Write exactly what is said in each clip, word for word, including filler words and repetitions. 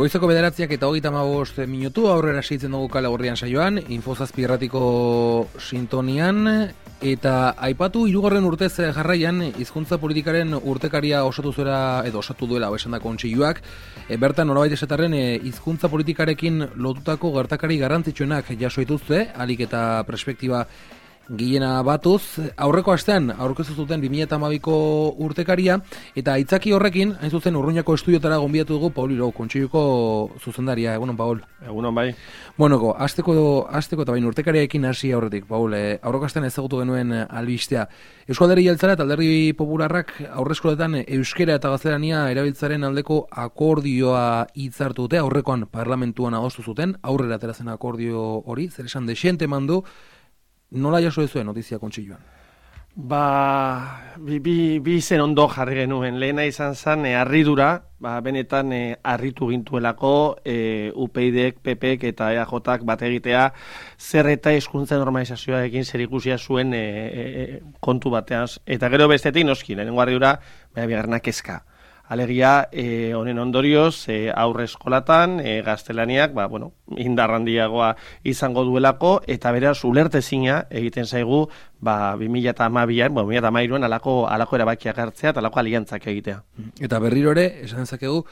Goizeko bederatziak eta hogeita hamabost minutu, aurrera segitzen dugu Kale Gorrian saioan, Infozazpi irratiko sintonian, eta aipatu hirugarren urtez jarraian hizkuntza politikaren urtekaria osatu zuela, edo osatu duela esan da kontseiluak, e, bertan nolabait esatarren hizkuntza politikarekin lotutako gertakari garrantzitsuenak jaso dituzte, alik eta perspektiba Gilena batuz, aurreko astean aurkeztu zuten bi mila hamabiko urtekaria, eta aitzaki horrekin, hain zuzen Urruñako estudiotara gonbidatu dugu Paul Irau, kontseiluko zuzendaria. Egunon, Paul. Egunon, bai. Bueno, asteko, asteko eta bain urtekariarekin hasi aurretik, Paul. Eh, aurreko astean ezagutu genuen albistea. Eusko Alderdi Jeltzalea eta Alderdi Popularrak aurreskoletan euskera eta gaztelania erabiltzaren aldeko akordioa hitzartu dute, aurrekoan parlamentuan adostu zuten, aurrera atera zen akordio hori, zer esan desiente mandu. Nola jaso ez zuen notizia kontseiluan? Ba, bi, bi, bi zen ondo jarri genuen. Lehena izan zen, e, harridura, ba, benetan e, harritu gintuelako, e, U P Y Dek, P Pek eta E A Jok bat egitea, zer eta hizkuntza normalizazioarekin zer ikusia zuen e, e, kontu batean. Eta gero bestetik noski, lehenengo harridura, baina bigarrenak kezka. Alegia, e, honen ondorioz, e, aurre eskolatan, e, gaztelaniak, ba, bueno, indarrandiagoa izango duelako, eta beraz, ulertezina egiten zaigu, ba, bi mila hamabian, bueno, bi mila hamairuan, alako, alako erabakiak hartzea, eta alako aliantzak egitea. Eta berriro ere, esan dezakegu,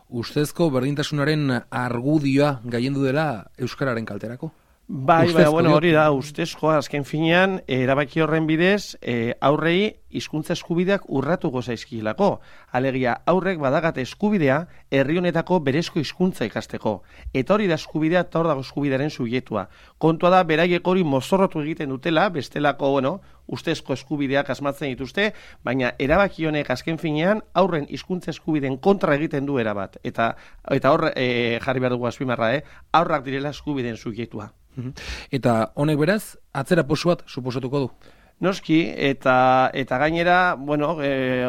ustezko berdintasunaren argudioa gaiendu dela euskararen kalterako? Bai, bai, bueno, hori da, ustezkoa, azken finean, erabaki horren bidez, e, aurrei hizkuntza eskubideak urratuko zaizkilako. Alegia, aurrek badagate eskubidea herri honetako berezko hizkuntza ikasteko. Eta hori da eskubidea, eta hor dago eskubidearen subjektua. Kontua da, beraiek hori mozorrotu egiten dutela, bestelako, bueno, ustezko eskubideak asmatzen dituzte, baina erabaki honek azken finean, aurren hizkuntza eskubideen kontra egiten du erabat. Eta, eta hor e, jarri behar dugu azpimarra, eh? Aurrak direla eskubideen subjektua. Eta honek beraz, atzera posu bat suposatuko du? Noski, eta eta gainera, bueno, e,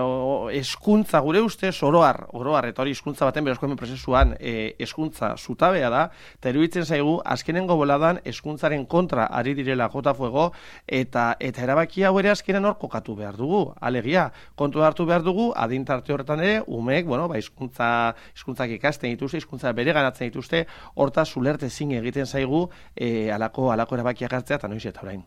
eskuntza gure ustez oroar, oroar, eta hori eskuntza baten berezko hemen prozesuan e, eskuntza zutabea da, eta iruditzen zaigu, azkenengo boladan eskuntzaren kontra ari direla jota fuego, eta eta erabaki hau ere azkenen hor kokatu behar dugu, alegia, kontu hartu behar dugu, adintarte horretan ere, umeek, bueno, ba, hizkuntza, hizkuntzak ikasten dituzte, hizkuntza bere ganatzen dituzte, hortaz ulerte zin egiten zaigu, e, alako, alako erabakiak hartzea, eta noiz eta orain.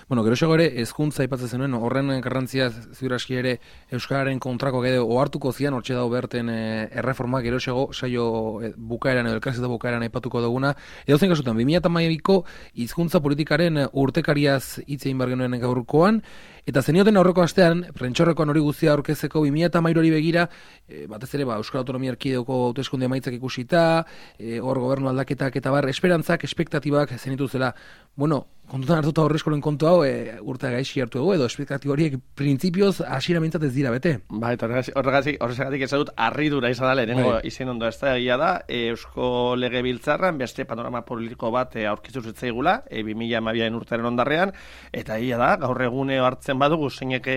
Bueno, geroxego ere, hezkuntza aipatzen zenuen, horren garrantzia ziuraski ere euskararen kontrako gede ohartuko zian, hortxe dago berten e, erreforma, geroxego saio e, bukaeran edo elkarrizketa bukaeran aipatuko duguna. Edo zen kasutan, bi mila hamabiko hizkuntza politikaren urtekariaz hitz egin behar genuen gaurkoan, eta zenioten aurreko astean, prentxorrekoan hori guztia aurkezeko bi mila hamairu hori begira, e, batez ere, ba, Euskal Autonomia Erkidegoko hauteskunde emaitzak ikusita, e, hor gobernu aldaketak eta bar, esperantzak, espektatibak zenituzela. Bueno, kontutan hartuta horrezkoren kontu hau, e, urte gaixi hartu dugu, edo espektatibo horiek printzipioz hasiera mintzat ez dira bete. Ba, eta horregatik, horregatik ez dut, harridura izan da, lehenengo izen ondo ez da, egia da, e, Eusko Legebiltzarran beste panorama politiko bat e, aurkizu zitzaigula, e, bi mila hamabiaren urtearen ondarrean, eta egia da, gaur egune hartzen badugu, zeinek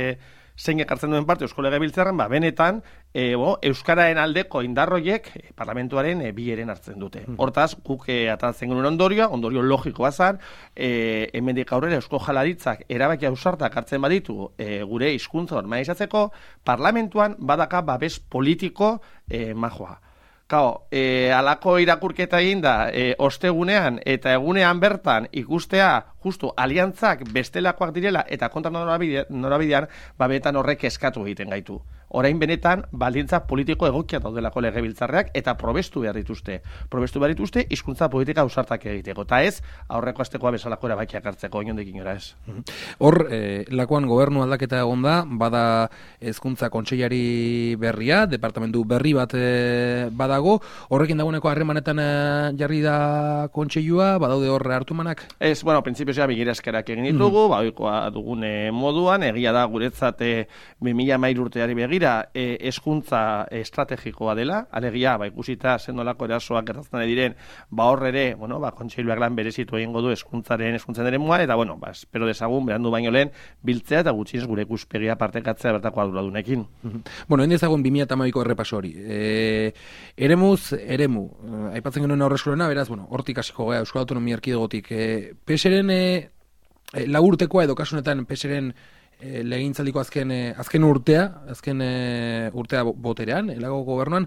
zeinek hartzen duen parte Eusko Legebiltzarran, ba, benetan, e, bo, Euskararen aldeko indarroiek e, parlamentuaren e, bi eren hartzen dute. Hortaz, guk e, atatzen genuen ondorioa, ondorio logikoa zan, e, hemendik aurrera Eusko Jaurlaritzak erabaki ausartak hartzen baditu e, gure hizkuntza normalizatzeko, parlamentuan badaka babes politiko e, majoa. Kao, e, alako irakurketa egin da, e, ostegunean eta egunean bertan ikustea justu aliantzak bestelakoak direla eta kontra norabidean, norabidean babetan horrek eskatu egiten gaitu. Orain benetan, baldintza politiko egokia daudelako legebiltzarreak eta probestu behar dituzte. Probestu behar dituzte, hizkuntza politika ausartak egiteko. Eta ez, aurreko astekoa bezalako erabakiak hartzeko, inondik inora ez. Hor, eh, lakoan gobernu aldaketa egon da, bada hezkuntza kontseilari berria, departamentu berri bat eh, badago, horrekin dagoeneko harremanetan eh, jarri da kontseilua, badaude hor hartumanak? Ez, bueno, printzipioz ja bigirazkerak egin ditugu, mm-hmm. baoikoa dugune moduan, egia da guretzat bi mila hamairu urteari begira, E, eskuntza estrategikoa dela, alegia, ba, ikusita sendolako erasoak gertatzen diren, ba hor ere, bueno, ba, kontseiluak lan berezitu egingo du eskuntzaren eskuntzaren eremuan, eta bueno, ba, espero dezagun, berandu baino lehen, biltzea eta gutxienez gure ikuspegia partekatzea bertako arduradunekin. Mm-hmm. Bueno, hende ezagun bi mila hamabiko errepaso hori. E, eremuz, eremu, aipatzen genuen aurreskolena, beraz, bueno, hortik hasiko gara, Euskal Autonomia Erkidegotik. E, Peseren e, e, lagurtekoa edo kasunetan Peseren E, legintzaldiko azken, e, azken urtea, azken e, urtea boterean, elago gobernuan,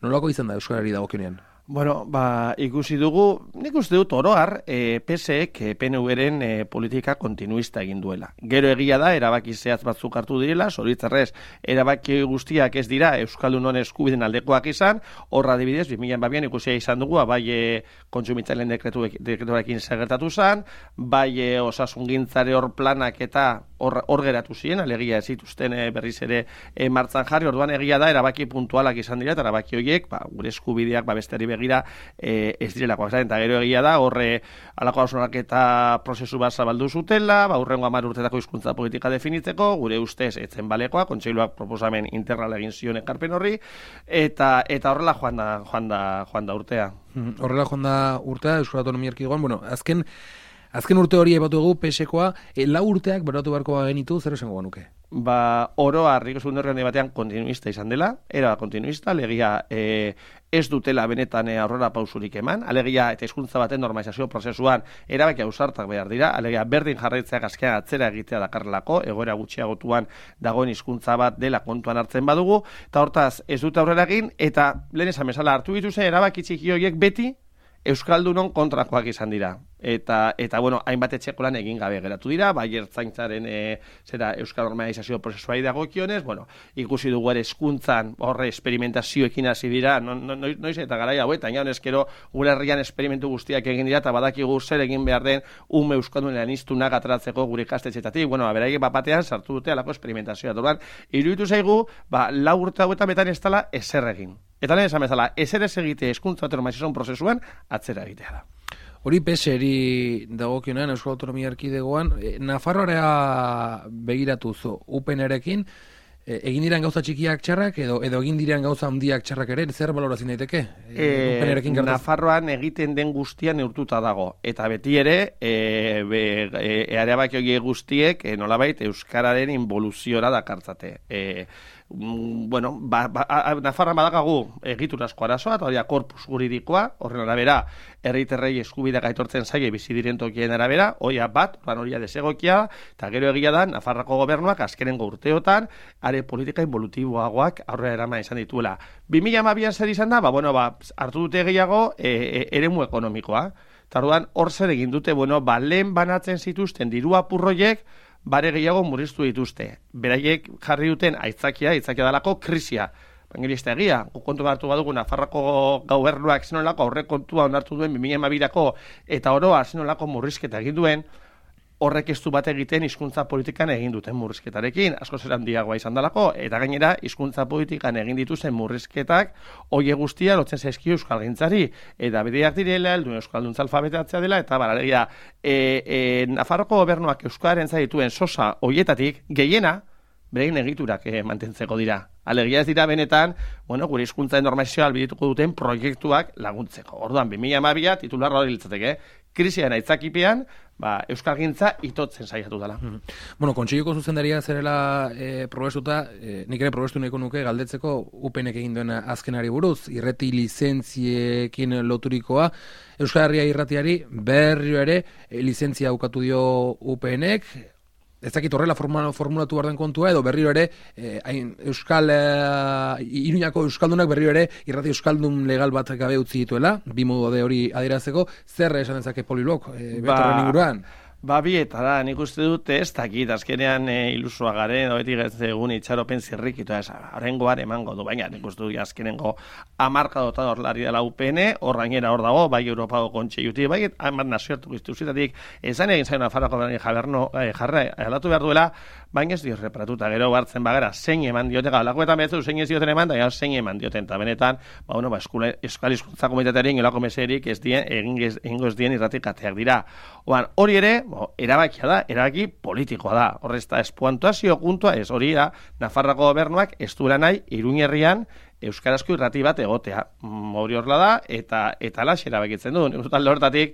nolako izan da euskarari dagokionean? Bueno, ba, ikusi dugu, nik uste dut oroar, e, P S ek P N V-ren e, politika kontinuista egin duela. Gero egia da, erabaki zehatz batzuk hartu direla, zoritzarrez, erabaki guztiak ez dira Euskaldunon eskubiden aldekoak izan, horra adibidez, bi mila hamabian ikusia izan dugu, bai e, kontsumitzaileen dekretu, dekretuarekin segertatu zen, bai e, osasungintzare hor planak eta hor, hor geratu ziren, alegia ez zituzten e, berriz ere e, martzan jarri, orduan egia da, erabaki puntualak izan dira, eta erabaki horiek, ba, gure eskubideak babestari begira e, ez direlakoak zaren, eta gero egia da, horre alako hausnarketa prozesu bat zabaldu zutela, ba, urrengo hamar urtetako hizkuntza politika definitzeko, gure ustez etzen balekoa, kontseiluak proposamen integral egin zion ekarpen horri, eta eta horrela joan da, joan da, joan da urtea. Horrela joan da urtea, Euskal Autonomia Erkidegoan, bueno, azken Azken urte hori ebatu dugu, P S ekoa, e, lau urteak beratu beharko genitu, zer esango banuke? Ba, oroa, Riko Segundo Herrialde batean kontinuista izan dela, era kontinuista, alegia e, ez dutela benetan e, aurrera pausurik eman, alegia eta hizkuntza baten normalizazio prozesuan erabaki ausartak behar dira, alegia berdin jarraitzeak azkean atzera egitea dakarrelako, egoera gutxiagotuan dagoen hizkuntza bat dela kontuan hartzen badugu, eta hortaz ez dute aurrera egin, eta lehen esan bezala hartu dituzte erabaki txiki horiek beti Euskaldunon kontrakoak izan dira. Eta, eta bueno, hainbat etxeko lan egin gabe geratu dira, bai ertzaintzaren e, zera Euskal normalizazio prozesuari dagokionez, bueno, ikusi dugu ere hezkuntzan horre esperimentazioekin hasi dira, no, no, noiz eta garai hauetan, ja honezkero gure herrian esperimentu guztiak egin dira, eta badakigu zer egin behar den ume Euskaldunean iztunak ateratzeko gure ikastetxeetatik, bueno, beraiek bapatean sartu dute alako esperimentazioa. Orduan, iruditu zaigu, ba, lau urte hauetan betan ez dela ezer egin. Eta lehen esan bezala, ezer ez egite hezkuntza normalizazio prozesuan atzera egitea da. Hori P S eri dagokionean Euskal Autonomia Erkidegoan, e, Nafarroara begiratu zu U P N-erekin, e, egin diren gauza txikiak txarrak edo edo egin diren gauza handiak txarrak ere, zer balorazio daiteke? E, U P N-erekin gertaz... Nafarroan egiten den guztian neurtuta dago, eta beti ere, e, be, e, eareabak hori guztiek, e, nolabait, Euskararen involuziora dakartzate. E, bueno, ba, ba, Nafarran badakagu egiturazko arazoa, eta hori korpus juridikoa, horren arabera, herritarrei eskubideak aitortzen zaie bizi diren tokien arabera, hoia bat, oran horia desegokia, eta gero egia da, Nafarrako gobernuak azkenengo urteotan, are politika involutiboagoak aurrera eraman izan dituela. bi mila hamabian zer izan da, ba, bueno, ba, hartu dute gehiago e, e, eremu ekonomikoa. Tarduan, hor zer egin dute, bueno, ba, lehen banatzen zituzten diru apurroiek, bare gehiago murriztu dituzte. Beraiek jarri duten aitzakia, aitzakia dalako krisia. Bangerista egia, kontu hartu badugu Nafarroko gobernuak zenolako aurre kontua onartu duen bi mila hamabirako eta oroa zenolako murrizketa egin duen, horrek ez du bat egiten hizkuntza politikan egin duten murrizketarekin, asko zer handiagoa izan dalako, eta gainera hizkuntza politikan egin dituzten murrizketak hoie guztia lotzen zaizkio euskalgintzari, eta bideak direla, heldu euskalduntza alfabetatzea dela, eta bararia, e, e, Nafarroko gobernuak euskaren zaituen sosa hoietatik gehiena, berein egiturak eh, mantentzeko dira. Alegia ez dira benetan, bueno, gure hizkuntzaren normalizazioa albidituko duten proiektuak laguntzeko. Orduan, bi mila hamabia titularra hori litzateke, krisiaren aitzakipean, ba, euskalgintza itotzen saiatu dela. Mm. Bueno, kontseiluko zuzendaria zerela e, probestuta, e, nik ere probestu nahiko nuke galdetzeko U P N-ek egin duen azkenari buruz, irrati lizentziekin loturikoa, Euskal Herria irratiari berriro ere e, lizentzia ukatu dio U P N-ek, ez dakit horrela formulatu behar den kontua, edo berriro ere, eh, hain, Euskal, eh, Iruñako Euskaldunak berriro ere, irrati Euskaldun legal bat gabe utzi dituela, bi modu de hori adierazeko, zer esan dezake Polilok, eh, betorren inguruan? Ba, bieta da, nik uste dute ez dakit, azkenean e, ilusua garen, doetik ez egun itxaropen zirrik, eta ez, horrengoan emango du, baina nik uste dut azkenengo amarkadotan horlari dela U P N, horrainera hor dago, bai Europako kontseilutik, bai, hamar nazioartuko instituzitatik, ezan egin zain Nafarroko jaberno e, jarra, aldatu behar duela, baina ez dio reparatuta, gero hartzen bagara, zein eman diote, galakoetan behetzu, zein ez dioten eman, da zein eman dioten, eta benetan, ba, bueno, ba, eskula, eskal hizkuntza komunitatearen gelako meserik ez dien, egin ez dien irratik kateak dira. Oan, hori ere, bo, erabakia da, erabaki politikoa da. Horrez da, espuantuazio puntua ez hori da, Nafarrako gobernuak ez duela nahi, Iruñerrian, euskarazko irrati bat egotea. Hori horrela da, eta eta lax erabakitzen du. Nik uste horretatik,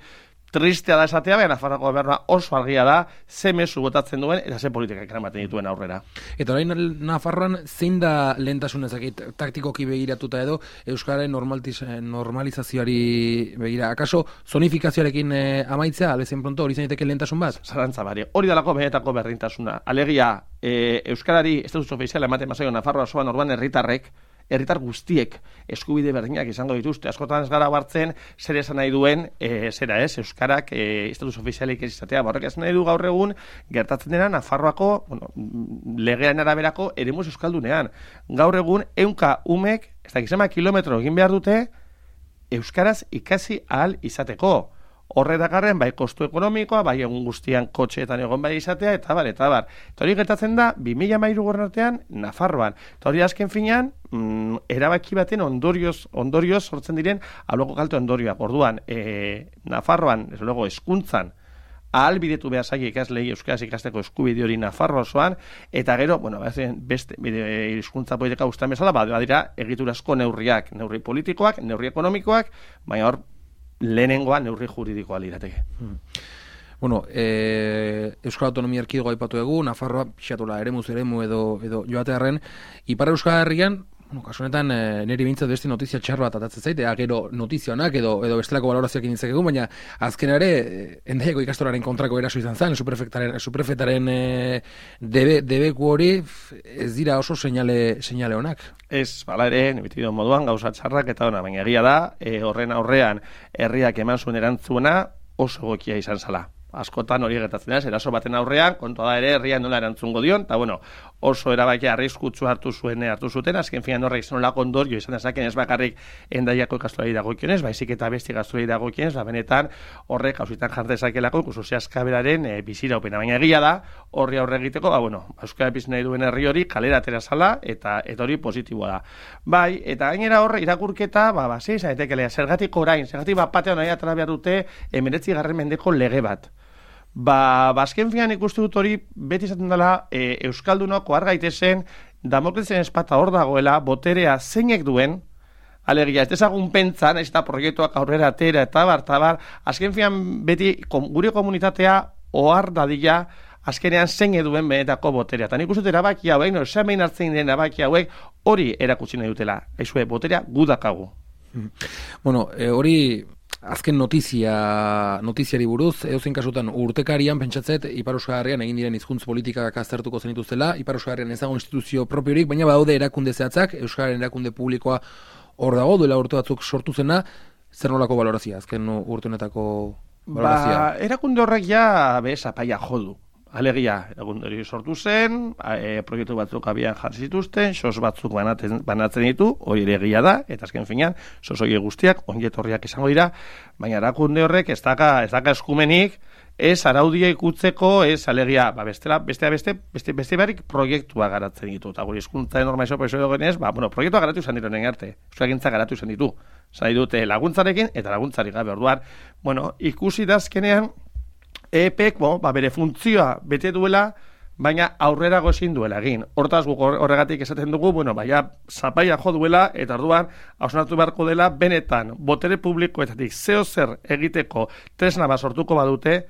tristea da esatea, baina Nafarroko gobernua oso argia da, ze mezu botatzen duen, eta ze politikak eramaten dituen aurrera. Eta orain Nafarroan zein da lehentasun ezakit, taktikoki begiratuta edo, Euskararen normalizazioari begira. Akaso, zonifikazioarekin eh, amaitzea, albezen pronto, hori zaineteke lehentasun bat? Zarantza bari, hori dalako benetako berdintasuna. Alegia, e, Euskarari estatus ofiziala ematen mazaio Nafarroa osoan orduan herritarrek, herritar guztiek eskubide berdinak izango dituzte. Askotan ez gara hartzen zer esan nahi duen, e, zera ez, euskarak e, estatus ofizialik ez izatea. Horrek esan nahi du gaur egun gertatzen dena Nafarroako, bueno, legean araberako eremus euskaldunean. Gaur egun ehunka umek, ez da gizema kilometro egin behar dute euskaraz ikasi ahal izateko. Horretakarren, bai kostu ekonomikoa, bai egun guztian kotxeetan egon bai izatea, eta bar, eta bar. Eta hori gertatzen da, bi mila hamairu artean, Nafarroan. Eta hori azken finean, mm, erabaki baten ondorioz, ondorioz sortzen diren, abloko kalte ondorioak. Orduan, e, Nafarroan, ez luego, eskuntzan, ahalbidetu behar zaila ikaslei euskaraz ikasteko eskubide hori Nafarro osoan, eta gero, bueno, beste hizkuntza politika guztien bezala, badira egiturazko neurriak, neurri politikoak, neurri ekonomikoak, baina hor, lehenengoa neurri juridikoa lirateke. Hmm. Bueno, e, Euskal Autonomia Erkidegoa aipatu dugu, Nafarroa pixatola eremuz eremu edo, edo joatearren, Ipar Euskal Herrian, bueno, kasu honetan, e, niri bintzat beste notizia txar bat atatzen zaite, gero notizia honak edo, edo bestelako balorazioak initzekegun, baina azken ere, Hendaiako ikastoraren kontrako eraso izan zen, suprefetaren, suprefetaren e, debe, debeku hori ez dira oso seinale, seinale honak. Ez, bala ere, nebitido moduan, gauza txarrak eta ona, baina egia da, e, horren aurrean herriak eman zuen erantzuna oso gokia izan zala. Askotan hori gertatzen da, eraso baten aurrean, kontua da ere herrian nola erantzungo dion, eta bueno, oso erabakia arriskutsu hartu zuen hartu zuten, azken finan horrek izan olako ondorio izan dezaken ez bakarrik Hendaiako ikastolari dagokionez, baizik eta beste ikastolari dagokionez, ba benetan horrek hausitan jar dezakelako ikus zehaskaberaren e, biziraupena, baina egia da, horri aurre egiteko, ba bueno, euskara bizi nahi duen herri hori kalera atera zala eta eta hori positiboa da. Bai, eta gainera horre irakurketa, ba ba sei zaitekelea, zergatik orain, zergatik bat batean nahi atera behar dute hemeretzigarren mendeko lege bat. Ba, bazken finan ikustu dut hori beti izaten dela e, Euskaldunok ohar gaitezen Damoklesen espata hor dagoela boterea zeinek duen, alegia ez dezagun pentzan, ez da proiektuak aurrera atera eta bar, eta bar, azken finan beti kom, gure komunitatea ohar dadila azkenean zein eduen benetako boterea. Eta nik uste dut erabaki hauek, no, esamein hartzen den erabaki hauek hori erakutsi nahi dutela. Aizue, boterea gudakagu. Bueno, e, hori... Azken notizia, notiziari buruz, edozein kasutan urtekarian pentsatzet Ipar Euskal Herrian egin diren hizkuntz politikak aztertuko zenituztela, Ipar Euskal Herrian ez dago instituzio propiorik, baina badaude erakunde zehatzak, Euskararen erakunde publikoa hor dago, duela urte batzuk sortu zena, zer nolako balorazia, azken urte honetako balorazia? Ba, erakunde horrek ja bez apaia jodu. Alegia, erakunde hori sortu zen, e, proiektu batzuk abian jarri zituzten, sos batzuk banatzen, banatzen ditu, hori ere egia da, eta azken finean, sos hori guztiak, ongetorriak izango dira, baina erakunde horrek ez daka, ez daka eskumenik, ez araudia ikutzeko, ez alegia, ba, bestela, bestea beste, beste, beste beharrik proiektua garatzen ditu, eta guri hizkuntza enorma iso peso genez, ba, bueno, proiektua garatu izan ditu nien arte, euskagintza garatu izan ditu, zai dute laguntzarekin, eta laguntzarik gabe orduan, bueno, ikusi dazkenean, E P E K, bo, ba, bere funtzioa bete duela, baina aurrera gozin duela egin. Hortaz guk horregatik esaten dugu, bueno, baina zapaia jo duela, eta orduan hausnartu beharko dela, benetan, botere publikoetatik zeo zer egiteko tresna bat sortuko badute,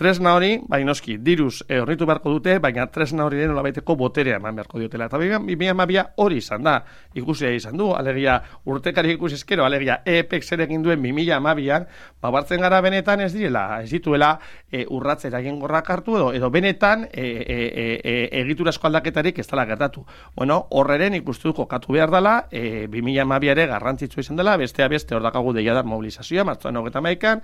tresna hori, baina noski, diruz e, hornitu beharko dute, baina tresna hori den nolabaiteko boterea eman beharko diotela. Eta bi mila hamabia hori izan da, ikusia izan du, alegia urtekari ikusi ezkero, alegia E P E K zer egin duen bi mila hamabian, ba, bartzen gara benetan ez direla, ez dituela e, urratzera egin gorrak hartu, edo, edo benetan e, e, e, e, egiturazko aldaketarik ez dela gertatu. Bueno, horreren ikustuko katu behar dela, e, bi mila hamabia ere garrantzitsu izan dela, bestea beste hor dakagu deiadar mobilizazioa, martzoan hogeita hamaika,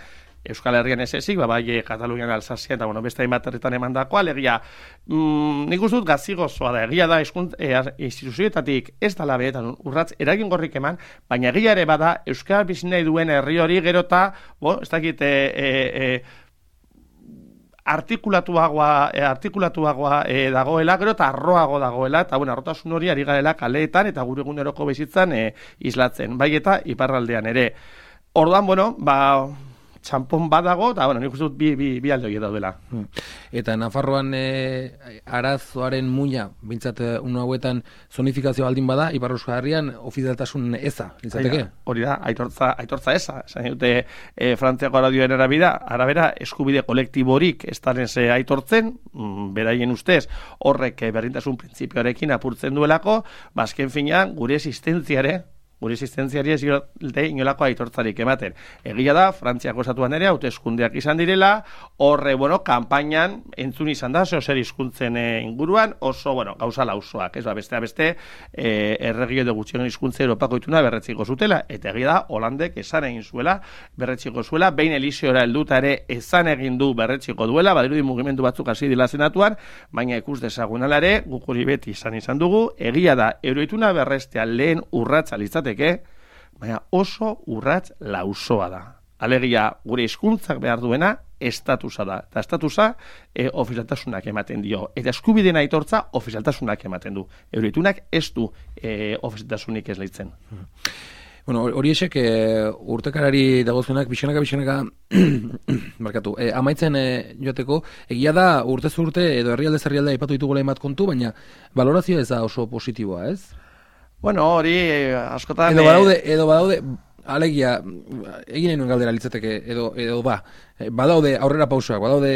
Euskal Herrian ez ezik, ba, bai Katalunian Alsazia, eta bueno, beste hainbat herritan emandako, alegia, mm, nik uste dut gazigozoa da, egia da, e, instituzioetatik ez dala behetan urratz eragingorrik eman, baina egia ere bada, Euskal bizi nahi duen herri hori gerota, bo, ez dakit, e, e, e, artikulatuagoa, e, artikulatuagoa e, dagoela, gero eta arroago dagoela, eta bueno, arrotasun hori ari garela kaleetan, eta gure eguneroko bizitzan e, islatzen, bai eta iparraldean ere. Orduan, bueno, ba... txampon badago, eta, bueno, nik uste dut bi, bi, bi alde hori daudela. Eta Nafarroan e, arazoaren muina, bintzat unu hauetan zonifikazio aldin bada, Ipar Euskal Herrian ofizialtasun eza, litzateke? Hori da, aitortza, aitortza eza. Zain dute, e, Frantziako aradioen arabera, arabera, eskubide kolektiborik ez daren ze aitortzen, mm, beraien ustez, horrek berdintasun printzipioarekin apurtzen duelako, bazken finean, gure existentziare, gure existentziari ez diote inolako aitortzarik ematen. Egia da, Frantziako estatuan ere hauteskundeak izan direla, horre, bueno, kanpainan entzun izan da, zeo zer hizkuntzen e, inguruan, oso, bueno, gauza lausoak, ez ba, beste beste, e, erregio edo gutxien hizkuntza Europako ituna berretziko zutela, eta egia da, Holandek esan egin zuela, berretziko zuela, behin Eliseora helduta ere esan egin du berretziko duela, badirudi mugimendu batzuk hasi dila senatuan, baina ikus dezagun ala ere, guk hori beti izan izan dugu, egia da, euroituna berrestea lehen urratsa litzateke, baina oso urrats lausoa da. Alegia, gure hizkuntzak behar duena, estatusa da. Eta estatusa, e, ofizialtasunak ematen dio. Eta eskubideen aitortza, ofizialtasunak ematen du. Euroitunak ez du e, ofizialtasunik ez leitzen. Bueno, hori esek e, urtekarari dagozunak, bixanaka, bixanaka, markatu, e, amaitzen e, joateko, egia da urtez urte edo herrialde herrialde aipatu ditugula emat kontu, baina valorazioa ez da oso positiboa, ez? Bueno, hori askotan... Edo badaude, edo badaude, alegia, egin nahi nuen galdera litzateke, edo, edo ba, badaude aurrera pausoak, badaude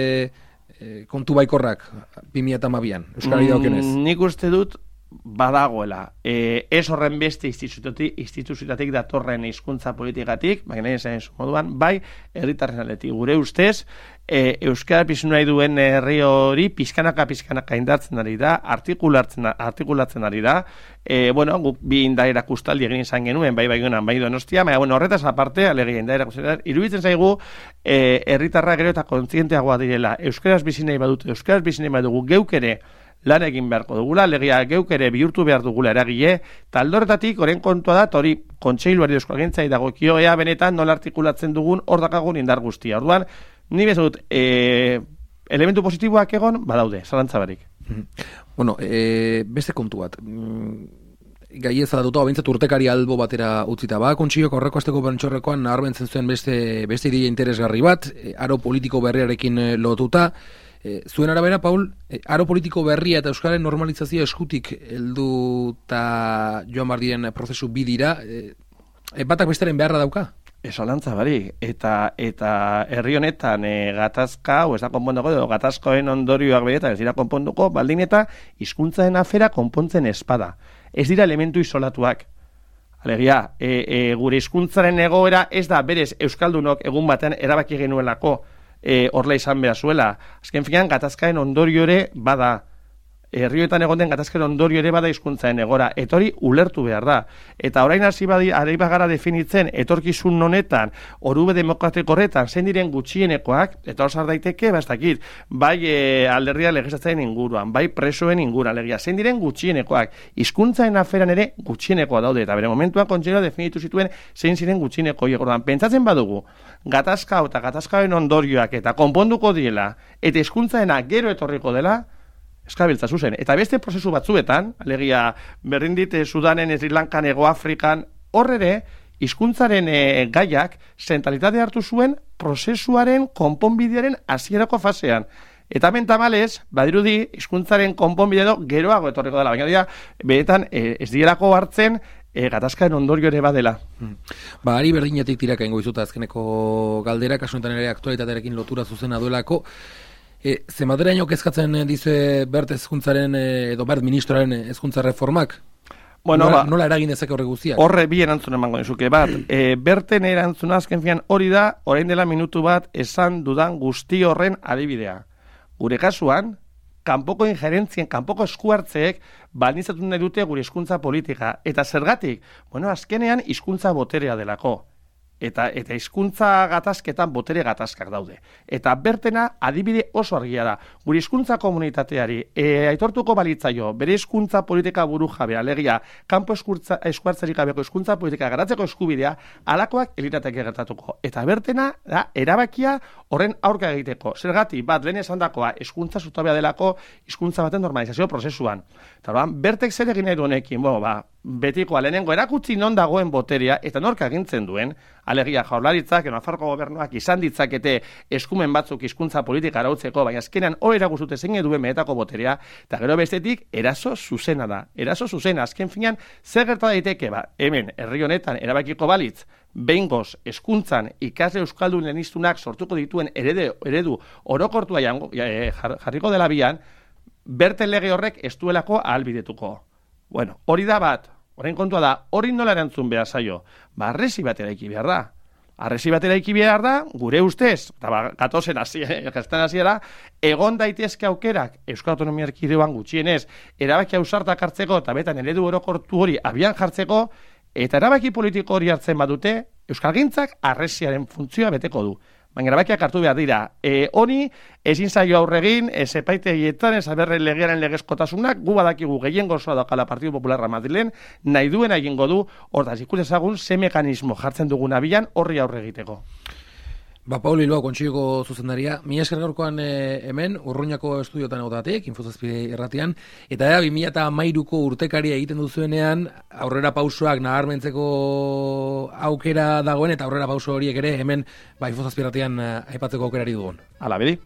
e, kontu baikorrak bi mila hamabian, Euskarari daukionez. Mm, nik uste dut, badagoela. E, ez horren beste instituzioetatik datorren hizkuntza politikatik, baina esan moduan, bai, herritarren aldetik. Gure ustez, e, euskara piztu nahi duen herri hori pizkanaka pizkanaka indartzen ari da, artikulatzen, artikulatzen ari da. E, bueno, guk bi indaera kustaldi egin izan genuen, bai Baionan, bai Donostia, baina bueno, horretaz aparte, alegia indaera kustaldi, iruditzen zaigu e, herritarra gero eta kontzienteagoa direla. Euskaraz bizi nahi badute, euskaraz bizi nahi badugu geuk ere lan egin beharko dugula, legia geuk ere bihurtu behar dugula eragile, taldorretatik oren kontua da, hori kontseiluari euskalgintzai dagokio, ea benetan nola artikulatzen dugun hor dakagun indar guztia. Orduan, ni bezut, e, elementu positiboak egon, badaude, zalantzabarik. Bueno, e, beste kontu bat, gai ez adatuta, bintzat urtekari albo batera utzita, ba, kontsiok horreko azteko bantxorrekoan naharbentzen zuen beste, beste ideia interesgarri bat, e, aro politiko berriarekin lotuta. E, zuen arabera, Paul, e, aro politiko berria eta euskaren normalizazioa eskutik helduta joan bardien prozesu bidira, e, e, batak bestaren beharra dauka? Esolantza bari, eta eta herri honetan e, gatazka, o ez da konponduko, edo gatazkoen ondorioak beretan ez dira konponduko, baldin eta hizkuntzaren afera konpontzen espada. Ez dira elementu isolatuak. Alegia, e, e, gure hizkuntzaren egoera ez da berez euskaldunok egun batean erabaki genuelako, E, horla izan behar zuela. Azken finean, gatazkaen ondorio ere bada. Herrioetan egon den gatazkaen ondorio ere bada hizkuntzaren egora. Eta hori ulertu behar da. Eta orain hasi badi, ari bagara definitzen, etorkizun honetan, orube demokratiko horretan, zein diren gutxienekoak, eta hor daiteke, bastakit, bai e, alderdia legislatzen inguruan, bai presoen inguruan, legia, zein diren gutxienekoak. Hizkuntzaren aferan ere gutxienekoa daude, eta bere momentuan kontseilua definitu zituen zein ziren gutxieneko. Orduan, pentsatzen badugu, gatazka eta gatazkaen ondorioak eta konponduko diela, eta hizkuntzarena gero etorriko dela, eskabiltza zuzen. Eta beste prozesu batzuetan, alegia berrindit Sudanen, Sri Lankan, Ego Afrikan, horrere, hizkuntzaren e, gaiak zentralitate hartu zuen prozesuaren konponbidearen hasierako fasean. Eta hemen tamalez, badirudi, hizkuntzaren konponbidea geroago etorriko dela, baina dira, beretan e, ez dielako hartzen e, gatazkaen ondorio ere badela. Hmm. Ba, ari berdinetik tiraka ingo izuta azkeneko galdera, kasunetan ere aktualitatearekin lotura zuzena duelako. E, Zemaderaino kezkatzen dize Bert hezkuntzaren edo Bert ministroaren hezkuntza reformak? Bueno, nola, ba, nola eragin dezake horre guztiak? Horre bi erantzun emango nizuke bat. E, Berten erantzuna azken fian hori da, orain dela minutu bat esan dudan guzti horren adibidea. Gure kasuan, kanpoko injerentzien, kanpoko eskuartzeek baldintzatu nahi dute gure hizkuntza politika. Eta zergatik? Bueno, azkenean hizkuntza boterea delako. Eta eta hizkuntza gatazketan botere gatazkak daude. Eta Bertena adibide oso argia da. Gure hizkuntza komunitateari e, aitortuko balitzaio bere hizkuntza politika burujabe, alegia kanpo eskuartzerik gabeko hizkuntza politika garatzeko eskubidea, halakoak elirateke gertatuko. Eta Bertena da erabakia horren aurka egiteko. Zergatik bat lehen esandakoa hizkuntza zutabea delako hizkuntza baten normalizazio prozesuan. Eta orduan Bertek zer egin nahi du honekin? Bueno, ba, betikoa lehenengo erakutsi non dagoen boterea eta nork agintzen duen, alegia Jaurlaritzak, Nafarroko gobernuak izan ditzakete eskumen batzuk hizkuntza politika arautzeko, baina azkenean hori erakustute zein duen benetako boterea, eta gero bestetik eraso zuzena da. Eraso zuzena, azken finean, zer gerta daiteke, ba, hemen, herri honetan, erabakiko balitz, behingoz, hezkuntzan ikasle euskaldun leheniztunak sortuko dituen eredu, eredu orokortua jango, e, jarriko dela bian, Berten lege horrek ez duelako ahalbidetuko. Bueno, hori da bat, Orain kontua da, hori nola erantzun behar zaio? Ba, arresi bat eraiki behar da. Arresi bat eraiki behar da, gure ustez, eta ba, gatozen hasiera, egon daitezke aukerak Euskal Autonomia Erkidegoan gutxienez, erabaki ausartak hartzeko, eta betan eredu orokortu hori abian jartzeko, eta erabaki politiko hori hartzen badute, Euskalgintzak arresiaren funtzioa beteko du. Baina erabakiak hartu behar dira. E, honi, ezin zaio aurregin, ez epaitegietan, ez aberre legearen legezkotasunak, gu badakigu gehiengo osoa daukala Partidu Popularra Madrilen, nahi duen egingo du, hortaz ikus ezagun, ze mekanismo jartzen dugun abian horri aurre egiteko. Ba, Pauli Bilbao, Kontseiluko zuzendaria, mi esker gaurkoan e, hemen, Urruñako estudiotan egotatik, Infozazpi erratian, eta da, bi mila hamairuko urtekaria egiten duzuenean, aurrera pausoak nabarmentzeko aukera dagoen, eta aurrera pauso horiek ere hemen, ba, Infozazpi erratian aipatzeko aukerari dugun. Hala, bedi.